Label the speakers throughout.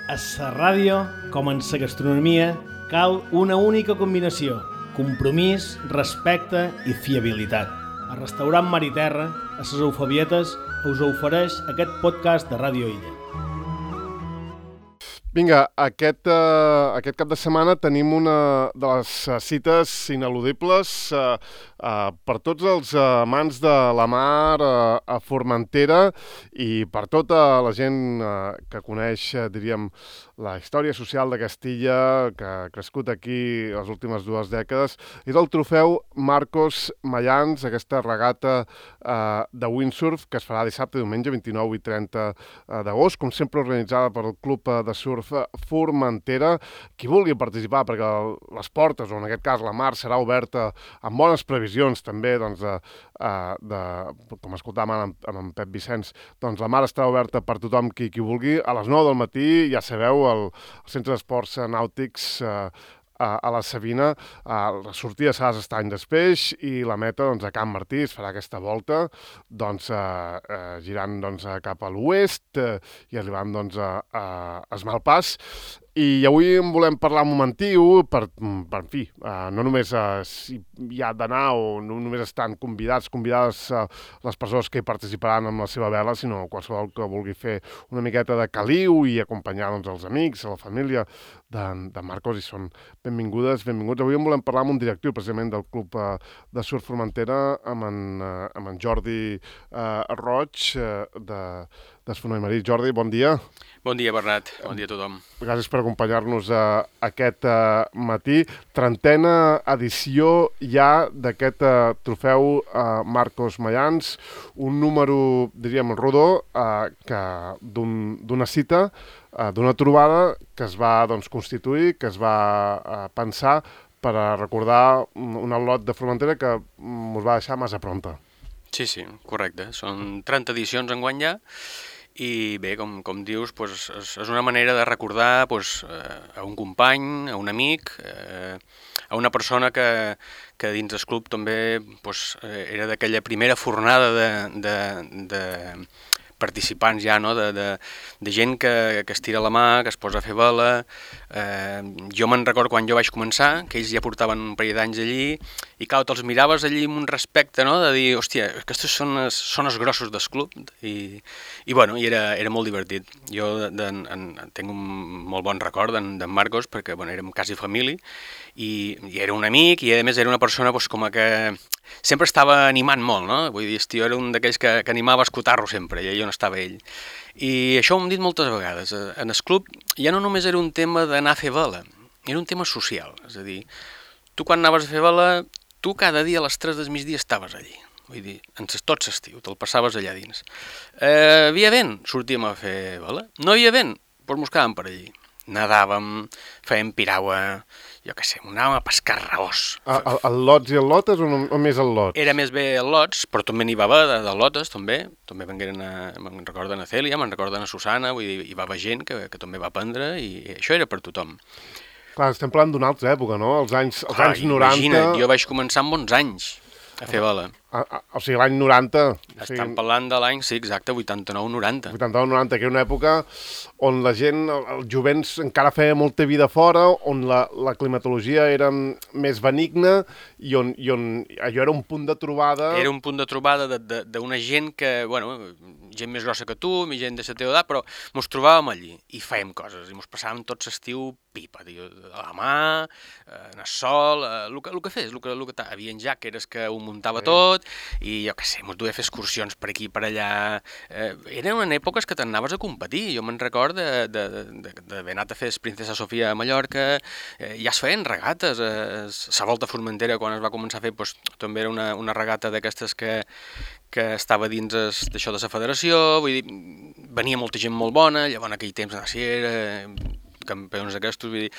Speaker 1: A la ràdio, com en la gastronomia, cal una única combinació: compromís, respecte i fiabilitat. El restaurant Mar i Terra, a les Eufebietes, us ofereix aquest podcast de Ràdio Illa.
Speaker 2: Vinga, aquest cap de setmana tenim una de les cites ineludibles per tots els amants de la mar a Formentera i per tota la gent que coneix, diríem, la història social de Castilla, que ha crescut aquí les últimes 2 dècades. És el trofeu Marcos Mayans, aquesta regata de windsurf que es farà dissabte i diumenge 29 i 30 d'agost, com sempre organitzada pel Club de Surf Formentera. Qui vulgui participar, perquè les portes, o en aquest cas la mar, serà oberta amb bones previsions també, doncs, com escoltàvem amb en Pep Vicenç, doncs la mar estarà oberta per tothom qui vulgui. A les 9 del matí, ja sabeu, al Centre d'Esports Nàutics a la Sabina, la sortida serà a l'Estany d'Espeix i la meta, doncs, a Can Martí. Es farà aquesta volta, doncs, girant, doncs, cap a l'oest i arribant, doncs, a Esmalpàs. I avui en volem parlar un momentiu per en fi, no només si hi ha d'anar o no només estan convidades les persones que hi participaran amb la seva vela, sinó qualsevol que vulgui fer una miqueta de caliu i acompanyar, doncs, els amics, la família de Marcos, i són benvinguts. Avui en volem parlar amb un directiu precisament del Club de Surf Formentera, amb en Jordi Roig, d'Esfonoi Marí. Jordi, bon dia.
Speaker 3: Bon dia, Bernat. Bon dia a tothom.
Speaker 2: Gràcies per acompanyar-nos aquest matí. 30a edició ja d'aquest trofeu Marcos Mayans, un número, diríem, rodó, d'una cita, d'una trobada que es va, doncs, constituir, que es va pensar per recordar un al·lot de Formentera que ens va deixar massa pronta.
Speaker 3: Sí, correcte. Són 30 edicions enguany ja. I bé, com dius, doncs, és una manera de recordar, doncs, a un company, a un amic, a una persona que dins del club també, doncs, era d'aquella primera fornada de participants ja, no? de gent que es tira la mà, que es posa a fer vela. Jo me'n recordo quan jo vaig començar, que ells ja portaven un parell d'anys allí, i clar, te'ls miraves allí amb un respecte, no? De dir, hòstia, aquests són els grossos del club, i bueno, era molt divertit. Jo tinc un molt bon record d'en Marcos, perquè bueno, érem quasi família, i era un amic, i a més era una persona doncs, com que sempre estava animant molt, no? Vull dir, el tio era un d'aquells que animava a escotar-lo sempre, i allà on estava ell. I això ho hem dit moltes vegades. En el club ja no només era un tema d'anar a fer vela, era un tema social. És a dir, tu quan anaves a fer vela, tu cada dia a les 3 del migdia estaves allí. Vull dir, tot l'estiu, te'l passaves allà dins. Havia vent, sortíem a fer vela. No hi havia vent, doncs mos quedàvem per allí. Nadàvem, fèiem piragua, jo què sé, anàvem a pescar raós.
Speaker 2: El lots i el lotes o més el lots?
Speaker 3: Era més bé el lots, però també n'hi va haver de lotes, també. També vengueren, me'n recorden a Cèlia, me'n recorden a Susana, vull dir, hi va haver gent que també va aprendre, i això era per tothom.
Speaker 2: Clar, estem parlant d'una altra època, no? Els anys 90...
Speaker 3: Imagina't, jo vaig començar amb 11 anys a fer vela.
Speaker 2: O sigui, l'any 90...
Speaker 3: Estan parlant de l'any, sí, exacte, 89-90.
Speaker 2: 89-90, que era una època on la gent, el jovent encara feia molta vida fora, on la climatologia era més benigna i on allò era un punt de trobada...
Speaker 3: Era un punt de trobada d'una gent que, bueno, gent més grossa que tu, gent de la teva edat, però mos trobàvem allí i fèiem coses, i mos passàvem tot l'estiu pipa, tio, a la mà, en el sol, el que fes, hi havia jàqueres que ho muntava tot, i jo què sé, mos duia a fer excursions per aquí i per allà. Eren èpoques que t'anaves a competir. Jo me'n record d'haver anat a fer Princesa Sofia a Mallorca, ja es feien regates. La Volta a Formentera, quan es va començar a fer, doncs, també era una regata d'aquestes que estava dins d'això de la federació. Vull dir, venia molta gent molt bona, llavors en aquell temps era campions d'aquestos, vull dir,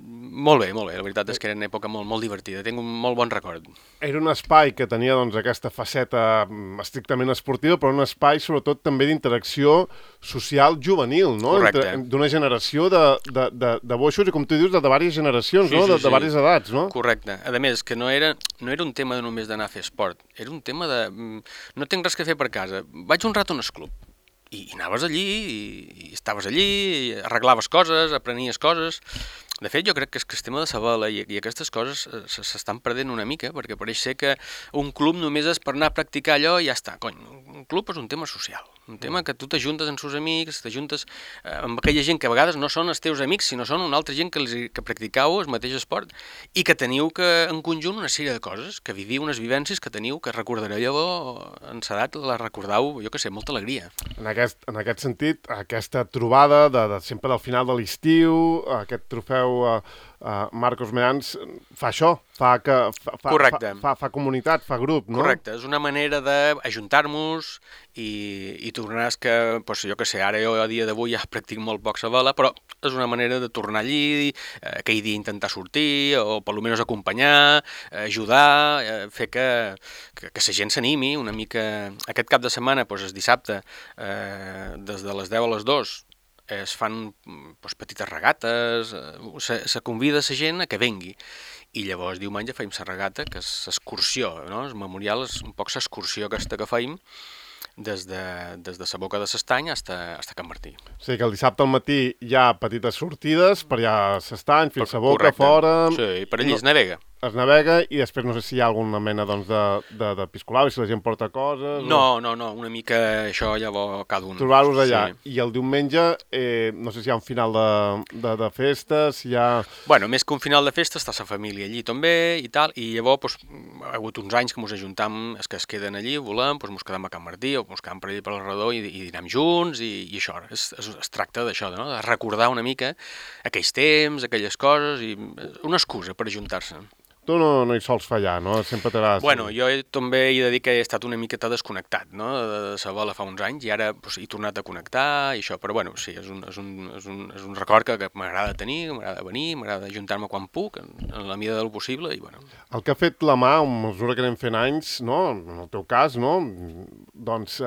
Speaker 3: molt bé, la veritat és que era una època molt divertida, tinc un molt bon record.
Speaker 2: Era un espai que tenia, doncs, aquesta faceta estrictament esportiva, però un espai sobretot també d'interacció social juvenil, no?
Speaker 3: Correcte.
Speaker 2: D'una generació de boixos i, com tu dius, de diverses generacions,
Speaker 3: sí,
Speaker 2: no?
Speaker 3: Sí,
Speaker 2: de diverses edats, no?
Speaker 3: Correcte. A més, que no era un tema només d'anar a fer esport, era un tema de... no tinc res que fer per casa, vaig un rato en el club. i anaves allí, i estaves allí, i arreglaves coses, aprenies coses. De fet, jo crec que el tema de la vela i aquestes coses s'estan perdent una mica, perquè pareix ser que un club només és per anar a practicar allò i ja està. Cony, un club és un tema social, un tema que tu t'ajuntes amb els amics, t'ajuntes amb aquella gent que a vegades no són els teus amics, sinó són una altra gent que practicau el mateix esport i que teniu que, en conjunt, una sèrie de coses, que viviu unes vivències que teniu, que recordareu llavors, en l'edat la recordau, jo que sé, molta alegria.
Speaker 2: En aquest sentit, aquesta trobada sempre del final de l'estiu, aquest trofeu Marcos Mayans fa això, fa comunitat, fa grup, no?
Speaker 3: Correcte, és una manera d'ajuntar-nos i tornar que, doncs, jo que sé, ara jo a dia d'avui ja practic molt poc la vela, però és una manera de tornar allí, aquell dia intentar sortir, o per almenys acompanyar, ajudar, fer que la gent s'animi una mica. Aquest cap de setmana, doncs, el dissabte, des de les 10 a les 2, es fan petites regates, se convida la gent a que vengui. I llavors diumenge feim la regata, que és l'excursió, no? El memorial és un poc l'excursió aquesta que feim des de la boca de l'Estany fins a Can Martí.
Speaker 2: O sigui que el dissabte al matí hi ha petites sortides per allà a l'Estany, fins a boca, fora...
Speaker 3: Sí, per allí es navega.
Speaker 2: Es navega i després no sé si hi ha alguna mena de piscolau, si la gent porta coses...
Speaker 3: No, una mica això llavors cada un.
Speaker 2: Trobar-los allà.
Speaker 3: Sí.
Speaker 2: I el diumenge, no sé si hi ha un final de festa, si hi ha...
Speaker 3: Bueno, més que un final de festa està la família allí també i tal, i llavors ha hagut uns anys que ens ajuntam, els que es queden allí, volem, ens quedem a Can Martí o ens quedem per allà per l'Arredor i dinem junts i això. Es tracta d'això, no? De recordar una mica aquells temps, aquelles coses, i una excusa per ajuntar-se.
Speaker 2: Tu no hi sols fallar, no? Sempre t'agrada...
Speaker 3: Bueno, jo també he de dir que he estat una miqueta desconnectat, no?, de la vela fa uns anys, i ara he tornat a connectar i això, però bueno, sí, és un record que m'agrada tenir, m'agrada venir, m'agrada ajuntar-me quan puc, en la mida del possible, i bueno.
Speaker 2: El que ha fet la mà, a mesura que anem fent anys, no?, en el teu cas, no?, doncs...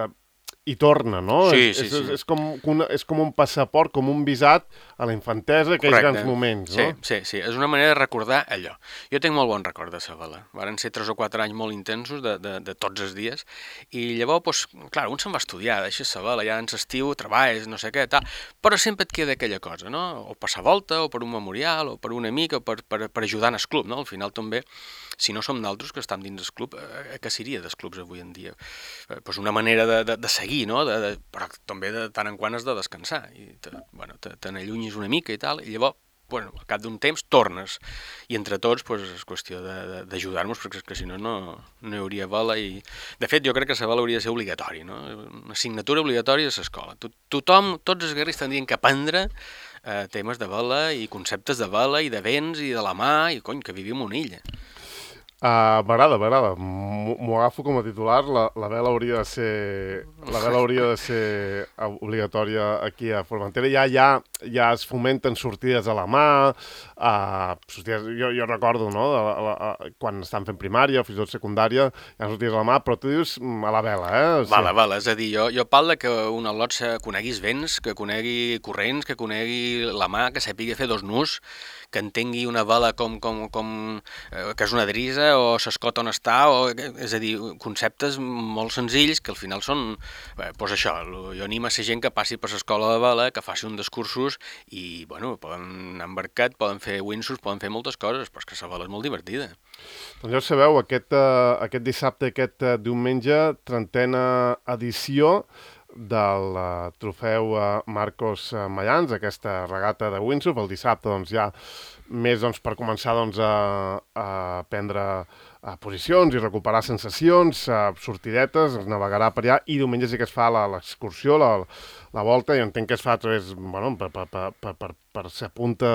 Speaker 2: i torna, no?
Speaker 3: Sí.
Speaker 2: És com un passaport, com un visat a la infantesa, aquells grans moments, no?
Speaker 3: Sí, és una manera de recordar allò. Jo tinc molt bon record de la vela. Varen ser 3 o 4 anys molt intensos de tots els dies, i llavors, clar, un se'n va estudiar, deixes la vela, ja en l'estiu treballes, no sé què, tal, però sempre et queda aquella cosa, no? O per la volta, o per un memorial, o per un amic, o per ajudar en el club, no? Al final també, si no som naltros que estem dins del club, què seria dels clubs avui en dia? Pues una manera de seguir, no? Però també de tant en quant has de descansar i te n'allunyis una mica i tal, i llavors, al cap d'un temps tornes, i entre tots és qüestió d'ajudar-nos, perquè és que si no hi hauria vela. I de fet jo crec que la vela hauria de ser obligatori, no? Una assignatura obligatòria a l'escola. Tothom, tots els guerrers tindrien que aprendre temes de vela i conceptes de vela i de vents i de la mà, i cony, que vivim en una illa.
Speaker 2: M'agrada. M'ho agafo com a titular. La vela hauria de ser obligatòria aquí a Formentera. Ja es fomenten sortides a la mà, jo recordo, no?, quan estan fent primària o fins i tot secundària, hi ha sortides a la mà, però tu dius a la vela, eh?
Speaker 3: Vale, és a dir, jo parlo que un al·lot conegui els vents, que conegui corrents, que conegui la mà, que sàpiga fer 2 nus, que entengui una vela com que és una drisa, o s'escota on està, és a dir, conceptes molt senzills que al final són, doncs això, jo animo a la gent que passi per l'escola de vela, que faci un dels cursos i, poden anar embarcat, poden fer windsurf, poden fer moltes coses, però és que la vela és molt divertida.
Speaker 2: Doncs ja ho sabeu, aquest dissabte, aquest diumenge, 30a edició del trofeu Marcos Mayans, aquesta regata de windsurf. El dissabte ja més per començar a prendre posicions i recuperar sensacions, sortidetes, es navegarà per allà, i diumenge sí que es fa l'excursió, la volta, i entenc que es fa a través, per ser punta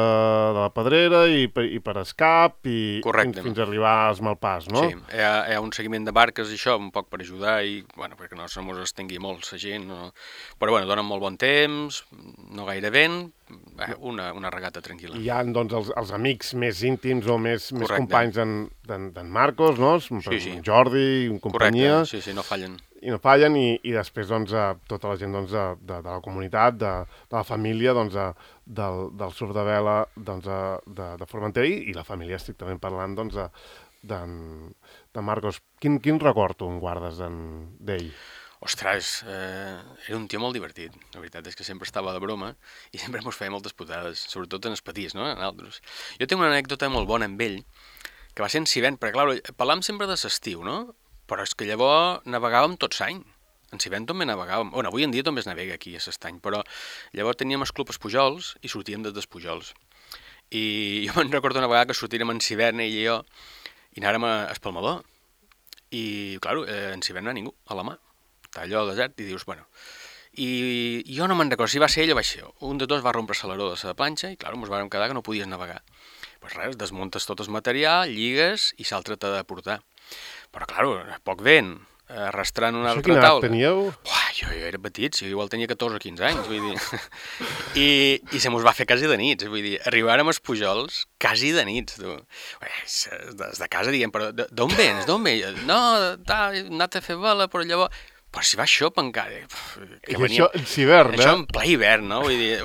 Speaker 2: de la Pedrera i per escap i fins a arribar als Malpàs, no?
Speaker 3: Sí, hi ha un seguiment de barques i això, un poc per ajudar, i perquè no se mos estengui molt la gent, però donen molt bon temps, no gaire vent, una regata tranquil·la.
Speaker 2: I hi ha, doncs, els amics més íntims o més companys d'en Marcos, no?
Speaker 3: Sí.
Speaker 2: Jordi, companyia.
Speaker 3: Correcte, sí, no fallen.
Speaker 2: I no fallen, i després, tota la gent de la comunitat, de la família, del surf de vela de Formentera, i la família, estrictament parlant, de Marcos. Quin record tu en guardes d'ell?
Speaker 3: Ostres, era un tio molt divertit. La veritat és que sempre estava de broma i sempre mos feia moltes putades, sobretot en els petits, no? En altres. Jo tinc una anècdota molt bona amb ell, que va ser en Sivent, perquè, clar, parlàvem sempre de l'estiu, no? Però és que llavors navegàvem tot l'any. En Sivent també navegàvem. Bueno, avui en dia també es navega aquí a l'estany, però llavors teníem el club Espujols i sortíem des d'Espujols. I jo me'n recordo una vegada que sortírem en Sivent, ell i jo, i anàrem a Espalmador. I, clar, en Sivent no hi ha ningú, a la mà. Està allò al desert i dius, bueno... I jo no me'n recordo si va ser ell o va ser jo. Un de dos va rompre l'aleró de la planxa i, clar, ens vàrem quedar que no podies navegar. Pues res, desmuntes tot el material, lligues i l'altre t'ha de portar. Però, clar, poc vent, arrastrant una altra taula.
Speaker 2: Quina edat teníeu?
Speaker 3: Jo era petit, si igual tenia 14 o 15 anys, vull dir. I se mos va fer quasi de nits, vull dir, arribàrem als Pujols quasi de nits, tu. Des de casa diem, però d'on vens, d'on vens? No, he anat a fer vela, però llavors... Però si va xop encara.
Speaker 2: I això en hivern,
Speaker 3: Això en ple hivern, no? Vull dir,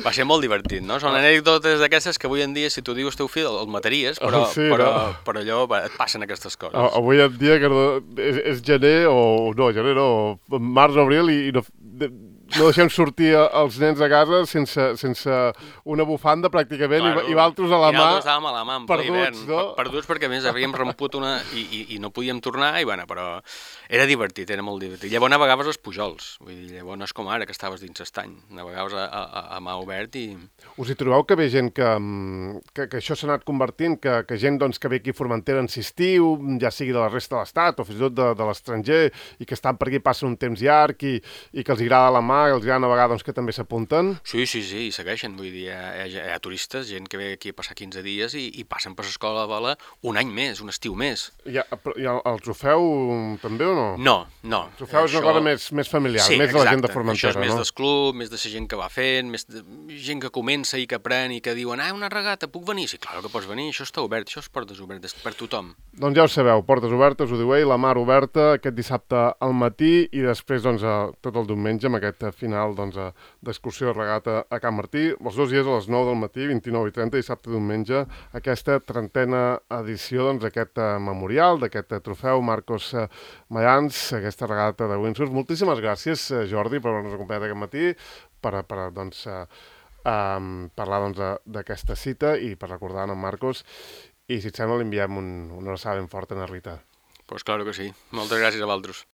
Speaker 3: va ser molt divertit, no? Són anècdotes d'aquestes que avui en dia, si tu dius teu fill, el mataries, però allò et passen aquestes coses.
Speaker 2: Avui en dia que és gener o... No, gener no, març o abril i no deixem sortir els nens a casa sense una bufanda pràcticament, claro, i valtros a la mà.
Speaker 3: I nosaltres estàvem a la mà en ple hivern,
Speaker 2: no?
Speaker 3: Perduts perquè a més havíem romput una i no podíem tornar, i bueno, però era divertit, era molt divertit. Llavors navegaves als Pujols, vull dir, llavors no és com ara que estaves dins l'estany, navegaves a mà obert i...
Speaker 2: Us hi trobeu que ve gent que això s'ha anat convertint, que gent doncs, que ve aquí a Formentera en estiu, ja sigui de la resta de l'estat o fins i tot de l'estranger, i que estan per aquí, passen un temps llarg i que els agrada la mà, que els agrada navegar, doncs que també s'apunten?
Speaker 3: Sí, i segueixen, vull dir, hi ha turistes, gent que ve aquí a passar 15 dies i passen per l'escola de vela un any més, un estiu més.
Speaker 2: I el trofeu també o no?
Speaker 3: No.
Speaker 2: El trofeu és una cosa més familiar, més de la gent de Formentera,
Speaker 3: no? Això és més del club, més de la gent que va fent, més de gent que comença i que aprèn i que diuen, una regata, puc venir? Sí, clar que pots venir, això està obert, això és portes obertes per tothom.
Speaker 2: Doncs ja ho sabeu, portes obertes, ho diu ell, la mar oberta, aquest dissabte al matí i després doncs, tot el diumenge amb aquest final d'excursió de regata a Can Martí, els 2 dies a les 9 del matí, 29 i 30, dissabte i diumenge, aquesta 30a edició d'aquest memorial, d'aquest trofeu Marcos Mayans, aquesta regata de windsurf. Moltíssimes gràcies, Jordi, per haver-nos acompanyat aquest matí, per parlar d'aquesta cita i per recordar en Marcos. I si et sembla, li enviem una abraçada ben forta a na Rita.
Speaker 3: Pues claro que sí. Moltes gràcies a vosaltres.